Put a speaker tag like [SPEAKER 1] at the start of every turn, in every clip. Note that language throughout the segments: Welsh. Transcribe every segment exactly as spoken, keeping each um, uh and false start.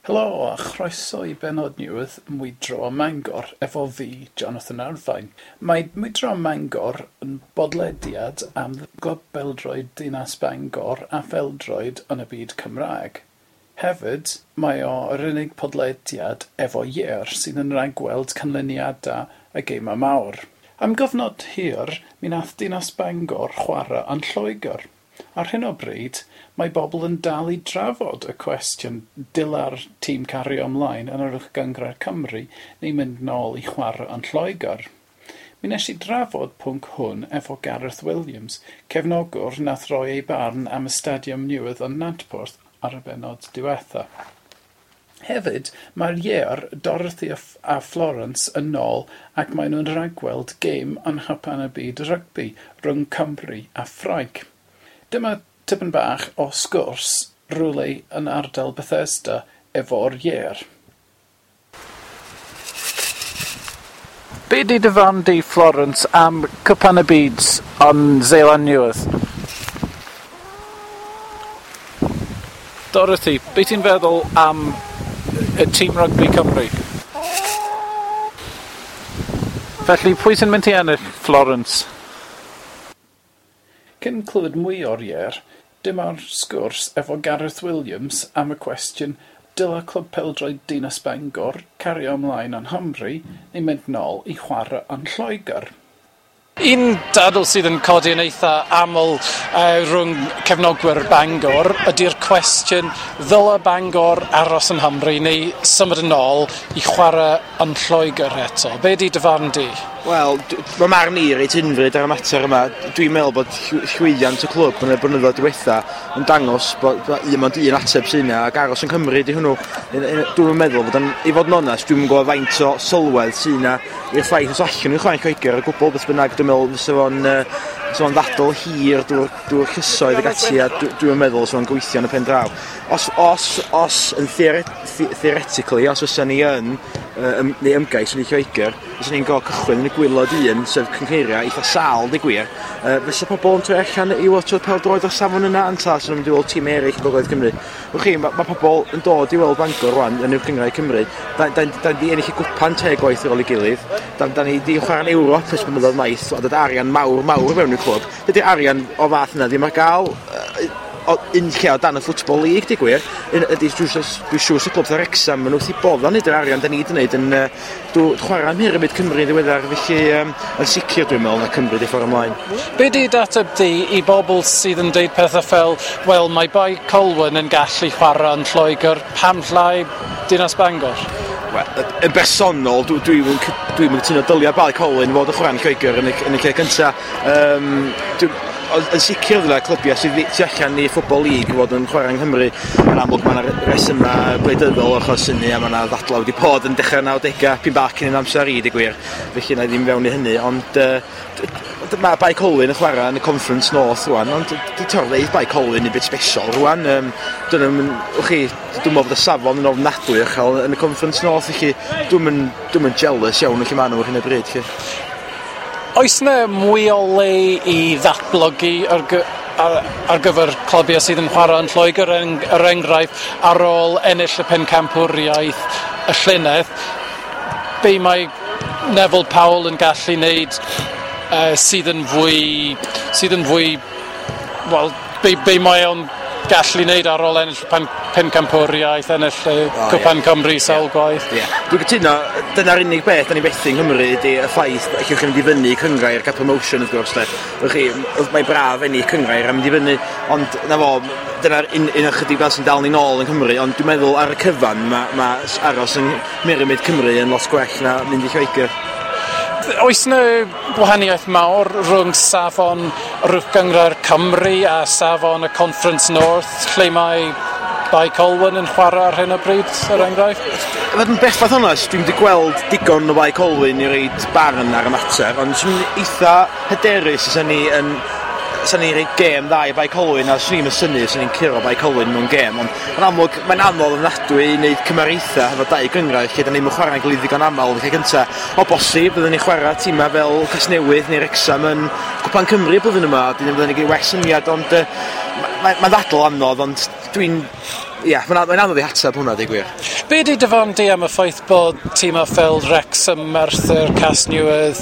[SPEAKER 1] Helo a chroeso i bennod newydd Mwydro ym Mangor efo fi, Jonathan Arfain. Mae Mwydro ym Mangor yn bodlediad am glwb pêl-droed Dinas Bangor a phêl-droed yn y byd Cymraeg. Hefyd, mae o yr unig podlediad efo ieir sydd yn rhagweld canlyniadau y gemau mawr. Am gyfnod hir, mi nath Dinas Bangor chwarae yn Lloegr. Ar hyn o bryd, mae bobl yn dal i drafod y cwestiwn dyla'r tîm cario ymlaen yn yr Uwch Gynghrair Cymru neu mynd nôl i chwarae yn Lloegr. Mi nes i drafod pwnc hwn efo Gareth Williams, cefnogwr nath roi ei barn am y stadiwm newydd yn Nantporth ar y bennod diwetha. Hefyd, mae'r ieir Dorothy a Florence yn ôl ac maen nhw'n rhagweld gêm yn Nghwpan y Byd Rygbi rhwng Cymru a Ffrainc. Dyma tipyn bach o sgwrs rywle yn ardal Bethesda efo'r ieir. Be 'di dy farn di, Florence, am Cwpan y Byd yn Seland Newydd? Dorothy, be ti'n feddwl am y tîm rygbi Cymru? Felly, pwy sy'n mynd i ennill, Florence? Cyn clywed mwy o'r ieir, dyma'r sgwrs efo Gareth Williams am y cwestiwn dyla Clwb Pêl-droed Dinas Bangor cario ymlaen yn Nghymru neu mynd nôl i chwarae yn Lloegr. Un dadl sydd yn codi yn eitha aml uh, rhwng cefnogwyr Bangor ydy'r cwestiwn ddyla Bangor aros yn Nghymru neu symud yn ôl i chwarae yn Lloegr eto. Be 'di dy farn di?
[SPEAKER 2] Wel, mae marn i reit unfryd ar y mater yma. Dwi'n meddwl bod llwyddiant y clwb yn y blynyddoedd diwetha yn dangos bod, bod un ond un ateb sy'n yna, ac aros yn Cymru di hwnnw. Dwi'n meddwl bod yn, i fod yn onest, dwi'n gwybod faint o sylwedd sy'n yna i'r ffaith os allan nhw'n chwarae Lloegr o gwbl, beth bynnag, dwi'n meddwl fysa fo'n fysa fo'n ddadl hir drwy'r drwy'r llysoedd ac ati, a dwi'n meddwl fysa fo'n gweithio yn y pen draw. Os, os, os yn theore, theoretically, os fysa ni yn, uh, neu ymgais yn Lloegr, fysa ni'n gorfod cychwyn yn y gwaelod un, sef cynghreiriau eitha sâl, di gwir, uh, fysa pobl yn troi allan i watchio pêl-droed o'r safon yna, ynta, sy'n mynd i weld tîm eraill yn Gogledd Cymru. Wch chi, mae ma pobl yn dod i weld Bangor rwan yn Uwch Gynghrair Cymru. Da, da, da ni ennill y gwpan te gwaith ar ôl ei gilydd. Da, da ni di chwarae'n Ewrop ers blynyddoedd maith, a dod arian mawr, mawr mewn i'r clwb. Dydy'r arian o fath yna ddim ar gael uh, o un lle o dan y Football League, di gwir. Ydy, dwi'n siŵr sy'n clwb Wrecsam, maen nhw wrth i bodd o'n neud yr arian da ni wedi wneud yn uh, chwarae am Pyramid Cymru yn ddiweddar, felly um, yn sicr dwi'n meddwl na Cymru di ffordd ymlaen.
[SPEAKER 1] Be di dateb di i bobl sydd yn deud pethau fel, wel, mae Bae Colwyn yn gallu chwarae yn Lloegr, pam llai Dinas Bangor?
[SPEAKER 2] Wel, yn bersonol, dwi'n dwi, dwi, dwi cytuno dylia Bae Colwyn fod yn chwarae yn Lloegr yn y, yn y lle cyntaf. Um, dwi, yn sicr ddyla clybiau sydd tu allan i Football League fod yn chwarae yng Nghymru. Yn amlwg mae yna resymau gwleidyddol achos hynny, a mae yna ddadlau wedi bod yn dechrau nawdegau, pyn bach cyn yn amser i, di gwir. Felly na i ddim fewn i hynny, ond uh, mae Bae Colwyn yn chwarae yn y Conference North rwan, ond di torfeydd Bae Colwyn yn bit special rwan. Um, Dyna, wch chi, dwi'n meddwl bod y safon yn ofnadwy uchel yn y Conference North, felly dwi'n dwi'n jealous iawn o lle maen nhw ar hyn o bryd. Lle.
[SPEAKER 1] Oes yna mwy o le i ddatblygu ar, gy ar, ar gyfer clybiau sydd yn chwarae yn Lloegr, er enghraifft, ar ôl ennill y pencampwriaeth y llynedd, be mae Neville Powell yn gallu wneud uh, sydd yn fwy, sydd yn fwy, wel, be, be mae o'n gallu wneud ar ôl ennill pen, pencampwriaeth, ennill uh, oh, Cwpan yeah. Cymru sawl yeah. gwaith.
[SPEAKER 2] Yeah. Dwi'n cytuno, dyna'r unig beth da ni fethu yng Nghymru ydy y ffaith allwch chi mynd i fyny cynghrair cael promotion wrth gwrs. Wch chi, mae braf ennill cynghrair a mynd i fyny, ond na fo, dyna'r un, un ychydig fel sy'n dal ni nôl yng Nghymru, ond dwi'n meddwl ar y cyfan mae ma aros yng Mhyramid Cymru yn lot gwell na mynd i Lloegr.
[SPEAKER 1] Oes yna gwahaniaeth mawr rhwng safon yr Uwch Gynghrair Cymru a safon y Conference North, lle mae Bae Colwyn yn chwarae ar hyn o bryd, er enghraifft?
[SPEAKER 2] Fod yn bellfath onest, dwi'n wedi gweld digon o Bae Colwyn i reid barn ar y mater, ond swn i'n eitha hyderus os ni yn sa'n ni'n rhoi gêm dda i Bae Colwyn, a swn i'n synnu os ni'n curo Bae Colwyn mewn gêm, ond yn amlwg mae'n anodd ofnadwy i wneud cymariaethau efo dau gynghrair lle da ni'n chwarae'n gilydd ddigon aml yn lle cynta. O bosib byddwn ni'n chwarae tîmau fel Casnewydd neu Wrecsam yn Cwpan Cymru blwyddyn yma, dyn byddwn ni'n gwneud well syniad, ond uh, mae'n ma ddadl anodd, ond dwi'n Ia, mae'n mae'n anodd i ateb hwnna, deud gwir.
[SPEAKER 1] Be di dy farn di am y ffaith bod tîmau fel Wrexham, Merthyr, Casnewydd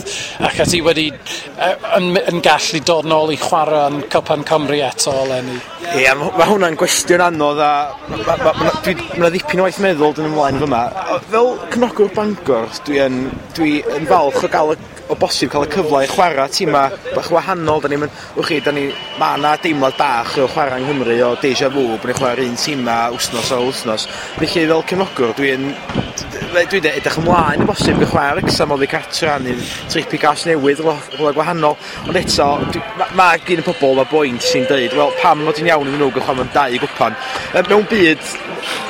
[SPEAKER 1] ac ati wedi yn, yn gallu dod nôl i chwarae yn Cwpan Cymru eto eleni?
[SPEAKER 2] Ie, yeah, mae hwnna'n gwestiwn anodd a mae ma, ma, ma, ma ddipyn o waith meddwl dyn ymlaen fyma. Fel cefnogwr Bangor, dwi yn, dwi yn falch o gael y o bosib cael y cyfle i chwarae tîmau bach wahanol. Da ni'n wch chi, da ni, ma' 'na deimlad bach o chwarae yng Nghymru o deja vu, bod ni'n chwarae'r un tîmau wsnos o wsnos. Felly fel cefnogwr, dwi'n dwi'n edrych ymlaen o bosib i chwarae Wrexham oddi cartra neu trip i Gasnewydd, rhywle gwahanol. Ond eto, mae ma gen y pobl efo boint sy'n deud, wel, pam fod hi'n iawn iddyn nhw gael chwarae mewn dau gwpan? Mewn byd,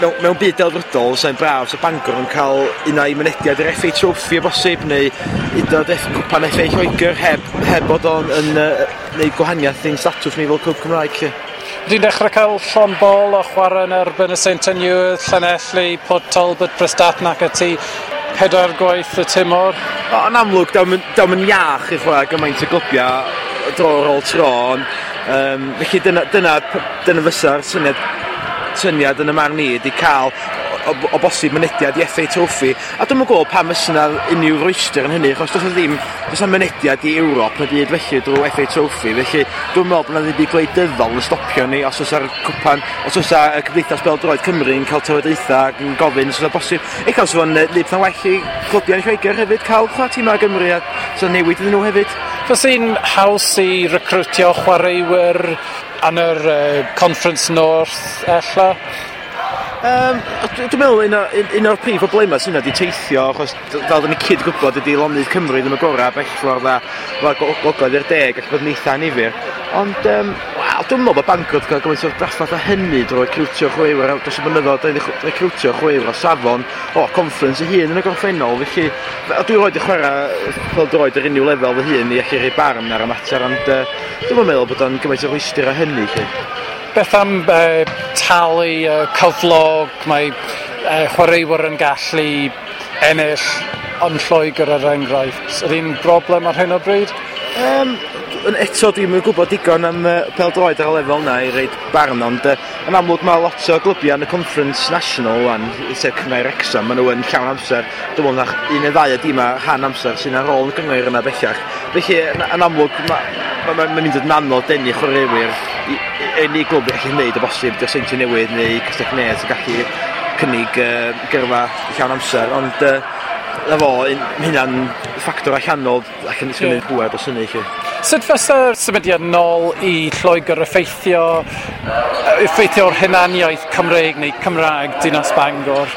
[SPEAKER 2] mewn, mewn byd delfrydol, sa'n braf, sa Bangor yn cael un ai mynediad i'r F A Trophy o bosib, neu hyd yn oed Cwpan F A Lloegr heb, heb bod o'n yn uh, neud gwahaniaeth i'n statws ni fel clwb Cymraeg. Lle.
[SPEAKER 1] Dwi'n dechrau cael llond bol o chwarae yn erbyn y Seintiau Newydd, Llanelli, Port Talbot, Prestatyn ac ati, pedair gwaith y tymor.
[SPEAKER 2] O, yn amlwg, daw'n yn iach i chwarae gymaint o glybiau dro ar ôl tro, ond um, felly dyna, dyna, dyna fysa'r syniad, syniad yn y marn i, ydi cael o, o bosib mynediad i F A Trophy. A dwi'm yn gwybod pam fysa 'na unrhyw rwystr yn hynny, achos does 'na ddim, does 'na mynediad i Ewrop na byd felly drwy F A Trophy, felly dwi'n meddwl bod 'na ddim byd gwleidyddol yn stopio ni os oes ar cwpan, os oes ar Cymdeithas Bêl-droed Cymru yn cael trafodaethau ac yn gofyn os oes bosib. Ella os fo'n neud pethau'n well i clybiau yn Lloegr hefyd cael chwarae tîmau Gymru a so newid iddyn nhw hefyd.
[SPEAKER 1] Fysa'n haws i recrwtio chwaraewyr yn yr uh, Conference North ella?
[SPEAKER 2] Um, dwi'n meddwl un, o, un, un o'r prif problemau sy'n yna di teithio, achos fel dyn ni cyd gwybod ydy lonydd Cymru ddim y gorau bell ffordd a gogledd i'r de gallu bod yn eitha annifyr. Ond um, wel, dwi'n meddwl bod Bangor wedi cael gymaint o drafferth â hynny drwy recrwtio chwaraewyr dros y blynyddoedd, da ni recrwtio chwaraewyr o safon o conference ei hun yn y gorffennol, felly dwi roed i chwarae pêl-droed ar unrhyw lefel fy hun i allu rhoi barn ar y mater, ond uh, dwi'n meddwl bod o'n gymaint o rwystr â hynny. Lle.
[SPEAKER 1] Beth am uh, talu uh, cyflog, mae uh, chwaraewyr yn gallu ennill yn Lloegr er enghraifft. Ydy'n broblem ar hyn o bryd?
[SPEAKER 2] Um, eto dwi'm yn gwybod digon am uh, pêl-droed ar y lefel yna i reid barn, ond uh, yn amlwg mae lot o glybiau yn y Conference National wan, sef Cynghrair Wrexham, maen nhw yn llawn amser. Dwi'n meddwl na un neu ddau o dimau rhan amser sy'n ar ôl yn y gynghrair yna bellach. Felly yn, yn amlwg mae'n ma, ma, ma mynd yn anodd denu chwaraewyr i, i, i glwb i allu gwneud o bosib di'r Seintiau Newydd neu Castell Nedd sy'n gallu cynnig uh, gyrfa llawn amser, ond uh, na fo, mae hynna'n ffactor allanol ac yn yeah. pŵer dros hynny. Lle.
[SPEAKER 1] Sut fysa'r symudiad nôl i Lloegr effeithio, effeithio'r hunaniaeth Cymreig neu Cymraeg Dinas Bangor?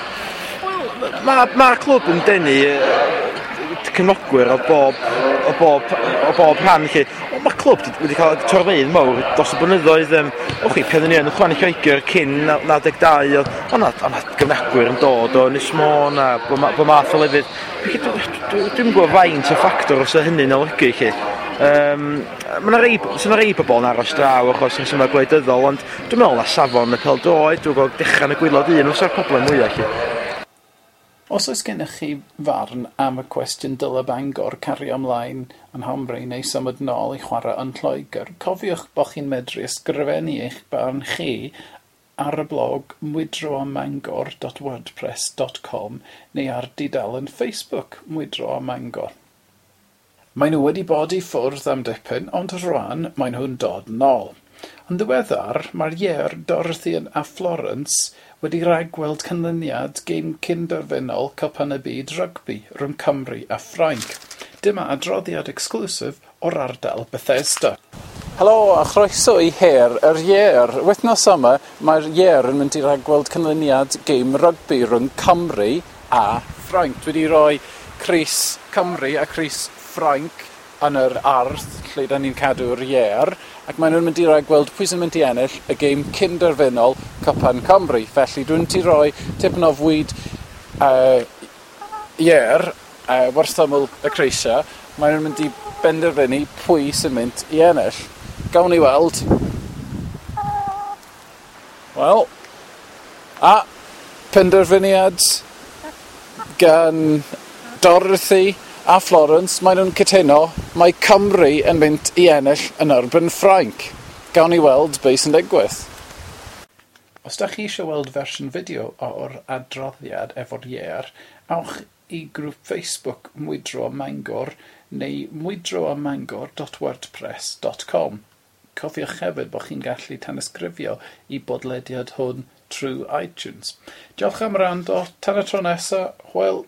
[SPEAKER 2] Wel, mae'r ma clwb yn denu cefnogwyr o bob, o bob, o bob rhan. Lle. Mae'r clwb wedi cael torfeydd mawr dros y blynyddoedd. Um, o chi, pan ni yn chwarae Lloegr cyn naw deg dau, oedd o'na gefnogwyr yn dod o Ynys Môn a bob math o lefydd. Dwi'm yn gwybod faint o ffactor os yw hynny'n olygu. Lle. Um, mae yna rei, so rei pobl yn aros draw achos rhesymau gwleidyddol, ond dwi'n meddwl na safon y pêl-droed, dwi'n gweld dechrau yn y gwaelod un fysa'r problem mwyaf. Lle.
[SPEAKER 1] Os oes gennych chi farn am y cwestiwn dyle Bangor cario ymlaen yn Nghymru neu symud nôl i chwarae yn Lloegr, cofiwch bod chi'n medru ysgrifennu eich barn chi ar y blog mwydro am mangor dot wordpress dot com neu ar dudalen Facebook Mwydro am Mangor. Maen nhw wedi bod i ffwrdd am dipyn, ond rwan maen nhw'n dod nôl. Yn ddiweddar, mae'r ieir Dorothy a Florence wedi rhagweld canlyniad gêm cyn-derfynol Cwpan y Byd Rygbi rhwng Cymru a Ffrainc. Dyma adroddiad exclusif o'r ardal Bethesda. Helo a chroeso i Her yr Ieir. Wythnos yma mae'r ieir yn mynd i ragweld canlyniad gêm rygbi rhwng Cymru a Ffrainc. Dwi wedi rhoi crys Cymru a crys Ffrainc yn yr ardd lle da ni'n cadw'r ieir, ac maen nhw'n mynd i ragweld pwy sy'n mynd i ennill y gêm cyn-derfynol Cwpan Cymru. Felly dwi'n mynd i roi tipyn o fwyd uh, ieir uh, wrth ymyl y crysau. Maen nhw'n mynd i benderfynu pwy sy'n mynd i ennill. Gawn ni weld. Wel, a penderfyniad gan Dorothy a Florence, maen nhw'n cytuno mae Cymru yn mynd i ennill yn erbyn Ffrainc. Gawn ni weld beth sy'n digwydd. Os da chi eisiau weld fersiwn fideo o'r adroddiad efo'r iêr, awch i grŵp Facebook Mwydro ym Mangor neu mwydroymmangor dot wordpress dot com. Cofiwch hefyd bod chi'n gallu tanysgrifio i bodlediad hwn trwy iTunes. Diolch am wrando. Tan y tro nesaf, hwyl.